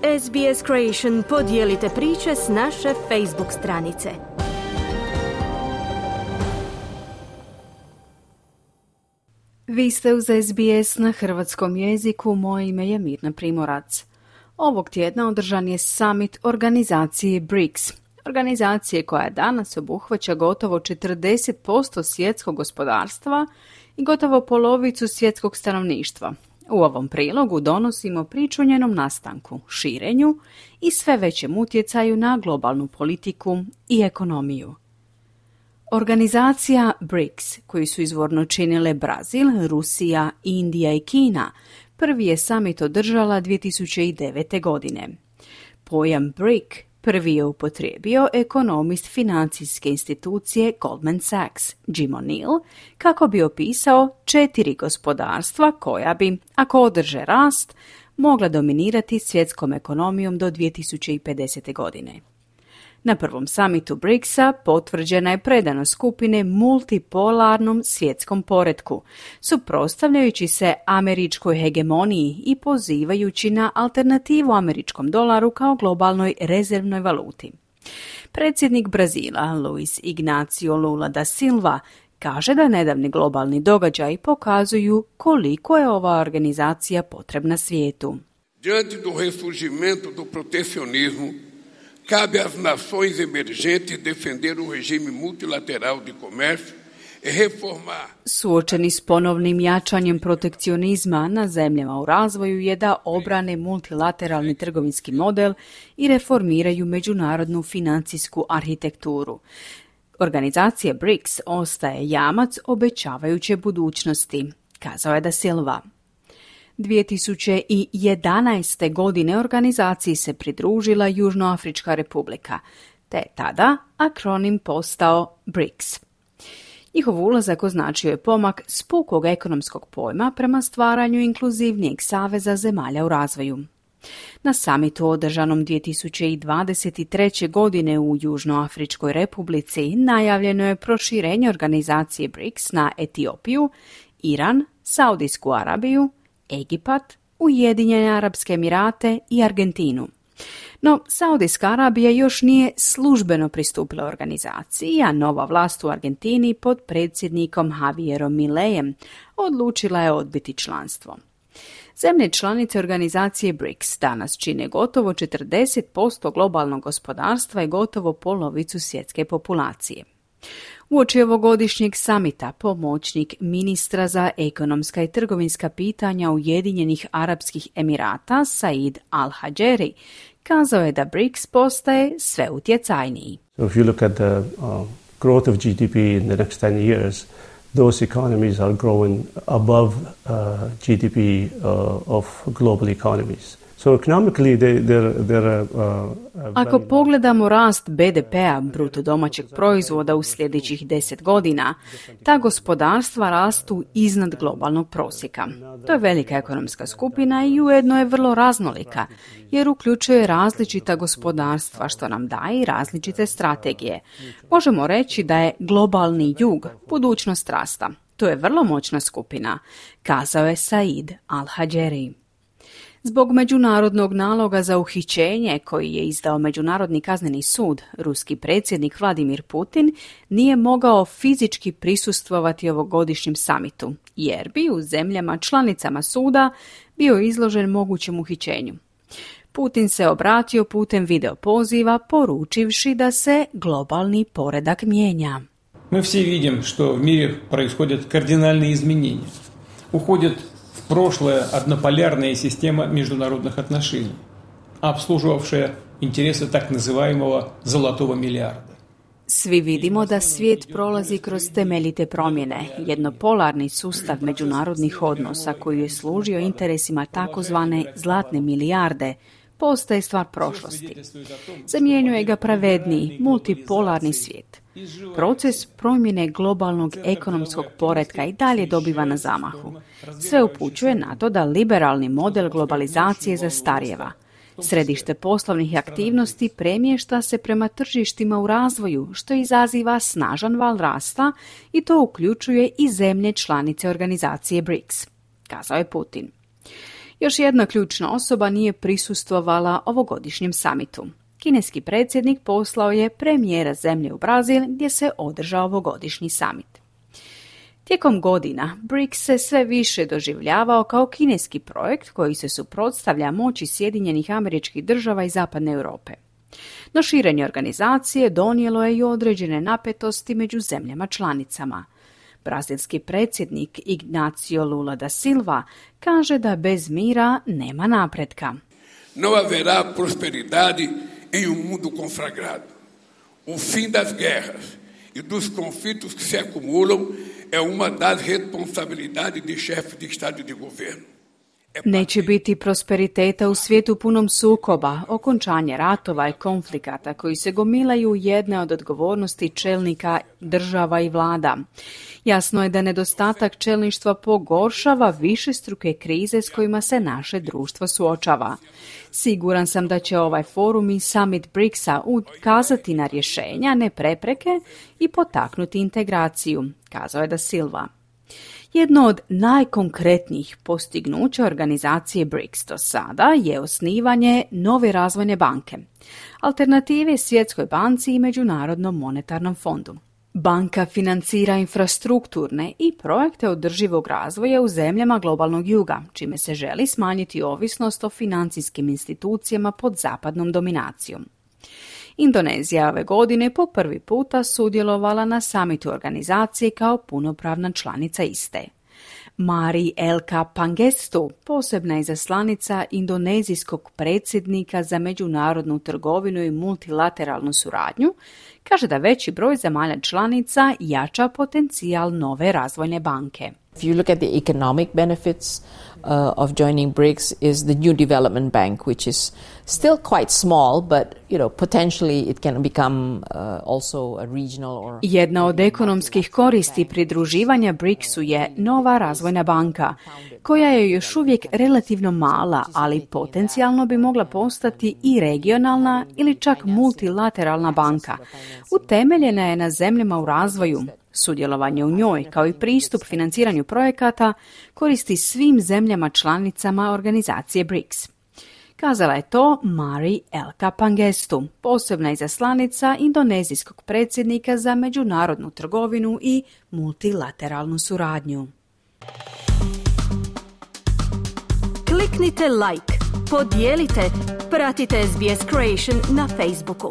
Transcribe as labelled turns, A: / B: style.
A: SBS Creation, podijelite priče s naše Facebook stranice.
B: Vi ste uz SBS na hrvatskom jeziku, moje ime je Mirna Primorac. Ovog tjedna održan je summit organizacije BRICS, organizacije koja danas obuhvaća gotovo 40% svjetskog gospodarstva i gotovo polovicu svjetskog stanovništva. U ovom prilogu donosimo priču o njenom nastanku, širenju i sve većem utjecaju na globalnu politiku i ekonomiju. Organizacija BRICS, koju su izvorno činile Brazil, Rusija, Indija i Kina, prvi je summit održala 2009. godine. Pojam BRIC prvi je upotrijebio ekonomist financijske institucije Goldman Sachs, Jim O'Neill, kako bi opisao 4 gospodarstva koja bi, ako održe rast, mogla dominirati svjetskom ekonomijom do 2050. godine. Na prvom summitu BRICS-a potvrđena je predanost skupine multipolarnom svjetskom poretku, suprotstavljajući se američkoj hegemoniji i pozivajući na alternativu američkom dolaru kao globalnoj rezervnoj valuti. Predsjednik Brazila, Luiz Inácio Lula da Silva, kaže da nedavni globalni događaji pokazuju koliko je ova organizacija potrebna svijetu.
C: Diante do ressurgimento do protecionismo, cabe às nações emergentes defender o regime multilateral de comércio e reformar.
B: Suočeni s ponovnim jačanjem protekcionizma na zemljama u razvoju je da obrane multilateralni trgovinski model i reformiraju međunarodnu financijsku arhitekturu. Organizacija BRICS ostaje jamac obećavajuće budućnosti, kazao je da Silva. 2011. godine organizaciji se pridružila Južnoafrička republika, te je tada akronim postao BRICS. Njihov ulazak označio je pomak s pukog ekonomskog pojma prema stvaranju inkluzivnijeg saveza zemalja u razvoju. Na samitu održanom 2023. godine u Južnoafričkoj republici najavljeno je proširenje organizacije BRICS na Etiopiju, Iran, Saudijsku Arabiju, Egipat, Ujedinjene Arapske Emirate i Argentinu. No, Saudijska Arabija još nije službeno pristupila organizaciji, a nova vlast u Argentini pod predsjednikom Javierom Mileijem odlučila je odbiti članstvo. Zemlje članice organizacije BRICS danas čine gotovo 40% globalnog gospodarstva i gotovo polovicu svjetske populacije. Uoči ovogodišnjeg samita pomoćnik ministra za ekonomska i trgovinska pitanja Ujedinjenih Arapskih Emirata Said Al-Hajeri kazao je da BRICS postaje sve utjecajniji.
D: If you look at the growth of GDP in the next 10 years, those economies are growing above GDP of global economies. So economically they're
B: Ako pogledamo rast BDP-a, bruto domaćeg proizvoda u sljedećih 10 godina, ta gospodarstva rastu iznad globalnog prosjeka. To je velika ekonomska skupina i ujedno je vrlo raznolika, jer uključuje različita gospodarstva, što nam daje i različite strategije. Možemo reći da je globalni jug budućnost rasta. To je vrlo moćna skupina, kazao je Said Al-Hajeri. Zbog međunarodnog naloga za uhićenje koji je izdao Međunarodni kazneni sud, ruski predsjednik Vladimir Putin nije mogao fizički prisustvovati ovogodišnjem samitu, jer bi u zemljama članicama suda bio izložen mogućem uhićenju. Putin se obratio putem video poziva poručivši da se globalni poredak mijenja.
E: Мы все видим, что в мире происходят кардинальные изменения. Уходит в прошлое однополярная система международных отношений, обслуживавшая интересы так называемого «золотого миллиарда».
B: Svi vidimo da svijet prolazi kroz temeljite promjene, jednopolarni sustav međunarodnih odnosa koji je služio interesima takozvane zlatne milijarde, postaje stvar prošlosti. Zamjenjuje ga pravedniji, multipolarni svijet. Proces promjene globalnog ekonomskog poretka i dalje dobiva na zamahu. Sve upućuje na to da liberalni model globalizacije zastarijeva. Središte poslovnih aktivnosti premješta se prema tržištima u razvoju, što izaziva snažan val rasta i to uključuje i zemlje članice organizacije BRICS, kazao je Putin. Još jedna ključna osoba nije prisustvovala ovogodišnjem samitu. Kineski predsjednik poslao je premijera zemlje u Brazil gdje se održao ovogodišnji samit. Tijekom godina BRICS se sve više doživljavao kao kineski projekt koji se suprotstavlja moći Sjedinjenih Američkih Država i Zapadne Europe. No širenje organizacije donijelo je i određene napetosti među zemljama članicama. Brazilski predsjednik Ignacio Lula da Silva kaže da bez mira nema napretka.
C: Não haverá prosperidade em mundo conflagrado. O fim das guerras e dos conflitos que se acumulam é uma das responsabilidades de chefes de Estado e de governo.
B: Neće biti prosperiteta u svijetu punom sukoba, okončanje ratova i konflikata koji se gomilaju jedne od odgovornosti čelnika država i vlada. Jasno je da nedostatak čelništva pogoršava višestruke krize s kojima se naše društvo suočava. Siguran sam da će ovaj forum i summit BRICS-a ukazati na rješenja, ne prepreke i potaknuti integraciju, kazao je da Silva. Jedno od najkonkretnijih postignuća organizacije BRICS do sada je osnivanje nove razvojne banke, alternative Svjetskoj banci i Međunarodnom monetarnom fondu. Banka financira infrastrukturne i projekte održivog razvoja u zemljama globalnog juga, čime se želi smanjiti ovisnost o financijskim institucijama pod zapadnom dominacijom. Indonezija ove godine po prvi puta sudjelovala na samitu organizacije kao punopravna članica iste. Mari Elka Pangestu, posebna izaslanica indonezijskog predsjednika za međunarodnu trgovinu i multilateralnu suradnju, kaže da veći broj zemalja članica jača potencijal nove razvojne banke.
F: If you look at the economic benefits of joining BRICS is the New Development Bank, which is still quite small, but potentially it can become also a regional or...
B: Jedna od ekonomskih koristi pridruživanja BRICS-u je nova razvojna banka, koja je još uvijek relativno mala, ali potencijalno bi mogla postati i regionalna ili čak multilateralna banka. Utemeljena je na zemljama u razvoju. Sudjelovanje u njoj, kao i pristup financiranju projekata, koristi svim zemljama članicama organizacije BRICS. Kazala je to Mari Elka Pangestu, posebna izaslanica indonezijskog predsjednika za međunarodnu trgovinu i multilateralnu suradnju.
A: Kliknite like, podijelite, pratite SBS Creation na Facebooku.